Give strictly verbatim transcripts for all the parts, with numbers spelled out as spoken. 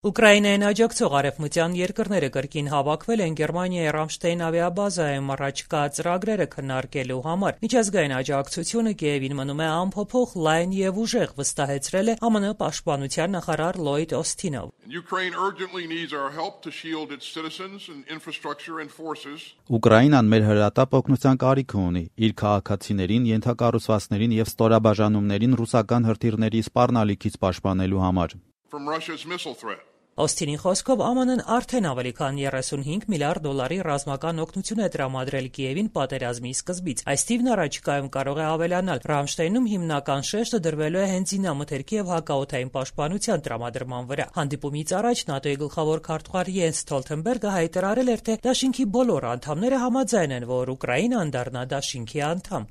Ուկրաինային աջակցող արևմտյան երկրները կրկին հավաքվել են Գերմանիայի Ռամշտեյն ավիաբազայում առաջկա ծրագրերը քննարկելու համար։ Միջազգային աջակցությունը Կիևին մնում է անփոփոխ, լայն եւ ուժեղ, վստահեցրել է ԱՄՆ պաշտպանության նախարար Լլոյդ Օսթինը։ Ուկրաինան մեր հրատապ օգնության կարիք ունի իր քաղաքացիներին, ենթակառուցվածքներին եւ ստորաբաժանումներին ռուսական հրթիռների սպառնալիքից պաշտպանելու համար։ Օսթինի խոսքով ԱՄՆ-ն արդեն ավելի քան երեսունհինգ միլիարդ դոլարի ռազմական օգնություն է տրամադրել Կիևին պատերազմի սկզբից։ Այս թիվն առաջիկայում կարող է ավելանալ։ Ռամշտեյնում հիմնական շեշտը դրվելու է հենց զինամթերքի եւ հակաօդային պաշտպանության տրամադրման վրա։ Հանդիպումից առաջ ՆԱՏՕ-ի գլխավոր քարտուղար Յենս Ստոլթենբերգը հայտարարել էր, թե դաշինքի բոլոր անդամները համաձայն են, որ Ուկրաինան դառնա դաշինքի անդամ։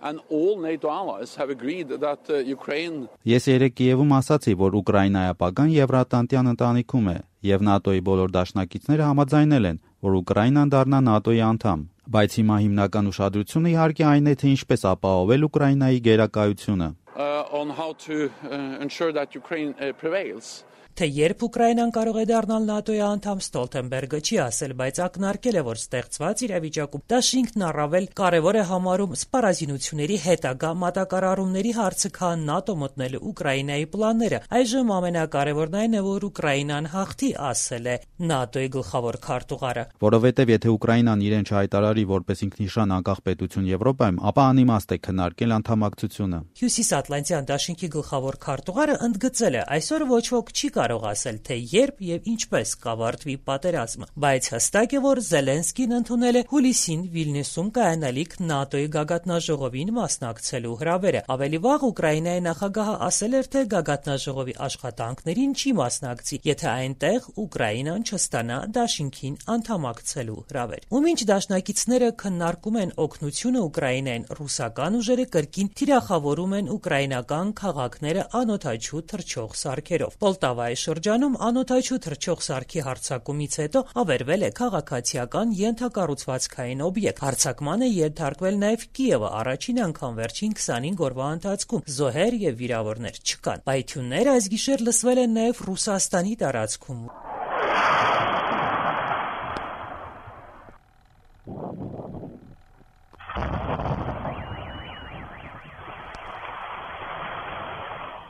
And all NATO allies have agreed that uh, Ukraine Ես երեկ Կիևում ասացի, որ Ուկրաինայի ապագան Եվրատանտյան ընտանիքում է, եւ ՆԱՏՕ-ի բոլոր դաշնակիցները համաձայնել են, որ Ուկրաինան դառնա ՆԱՏՕ-ի անդամ։ Բայց հիմա հիմնական ուշադրությունը իհարկե այն է, թե ինչպես ապահովել Ուկրաինայի գերակայությունը։ uh, on how to uh, ensure that Ukraine uh, prevails. Թե երբ Ուկրաինան կարող է դառնալ ՆԱՏՕ-ի անդամ, Ստոլթենբերգը չի ասել, բայց ակնարկել է, որ ստեղծված իրավիճակում դաշինքն առավել կարևոր է համարում սպառազինությունների հետագա մատակարարումների հարցը, քան ՆԱՏՕ մտնելու Ուկրաինայի պլանները։ Այժմ ամենակարևորն այն է, որ Ուկրաինան հաղթի, ասել է ՆԱՏՕ-ի գլխավոր քարտուղարը։ Որովհետև եթե Ուկրաինան իրեն չհայտարարի որպես ինքնիշխան անկախ պետություն Եվրոպայում, ապա անիմաստ է քննարկել անդամակցությունը։ Հյուսիսատլանտյան դաշինքի գլխավոր քարտուղարը ընդգծել է, այսօր ոչ ոք չի կարող ասել, թե երբ եւ ինչպես կավարտվի պատերազմը, բայց հստակ է, որ Զելենսկին ընդունել է հուլիսին Վիլնյուսում կայանալիք ՆԱՏՕ-ի գագաթնաժողովին մասնակցելու հրավերը։ Ավելի վաղ Ուկրաինայի նախագահը ասել էր, թե գագաթնաժողովի աշխատանքներին չի մասնակցի, եթե այնտեղ Ուկրաինան չստանա դաշինքին անդամակցելու հրավեր։ Ու մինչ դաշնակիցները քննարկում են օգնությունը Ուկրաինային, ռուսական ուժերը կրկին թիրախավորում են ուկրաինական քաղաքները անօդաչու թռչող սարքերով։ Պոլտավայի շրջանում անօդաչու թռչող սարքի հարձակումից հետո ավերվել է քաղաքացիական ենթակառուցվածքային օբյեկտ։ Հարձակման է ենթարկվել նաև Կիևը, առաջին անգամ վերջին քսանհինգ օրվա ընթացքում զոհեր եւ վիրավորներ չկան։ Պայթյուններ այս գիշեր լսվել են նաև Ռուսաստանի տարածքում։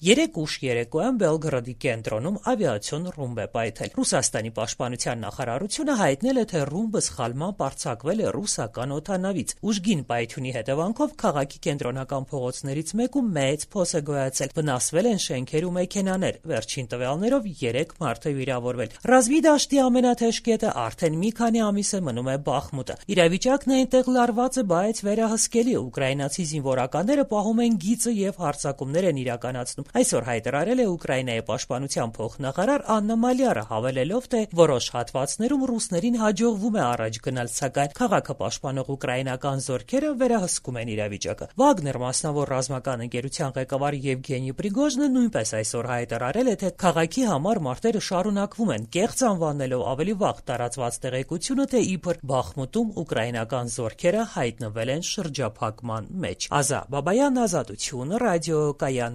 Երեկ ուշ երեկոյան Բելգրադի կենտրոնում ավիացիոն ռումբ է պայթել։ Ռուսաստանի պաշտպանության նախարարությունը հայտնել է, թե ռումբը սխալմամբ արձակվել է ռուսական օդանավից։ Ուժգին պայթյունի հետևանքով քաղաքի կենտրոնական փողոցներից մեկում մեծ փոս է գոյացել։ Վնասվել են շենքեր ու մեքենաներ։ Վերջին տվյալներով երեք մարդ է վիրավորվել։ Ռազմի դաշտի ամենաթեժ կետը արդեն մի քանի ամիս է մնում է Բախմուտը։ Իրավիճակն այնտեղ լարված է, բայց վերահսկելի։ Ուկրաինացի զինվորականները պահում են գիծը եւ հարձակումներ են իրականացնում։ Այսօր հայտարարել է Ուկրաինայի պաշտպանության փոխնախարար Աննա Մալիարը, հավելելով, թե որոշ հատվածներում ռուսներին հաջողվում է առաջ գնալ, սակայն քաղաքը պաշտպանող ուկրաինական զորքերը վերահսկում են իրավիճակը։ Վագներ մասնավոր ռազմական ընկերության ղեկավար Եվգենի Պրիգոժնը նույնպես այսօր հայտարարել է, թե քաղաքի համար մարտերը շարունակվում են, կեղծ անվանելով ավելի վաղ տարածված տեղեկությունը, թե իբր Բախմուտում ուկրաինական զորքերը հայտնվել են շրջափակման մեջ։ Ազա Բաբայան, Ազատություն, ռադիոկայան։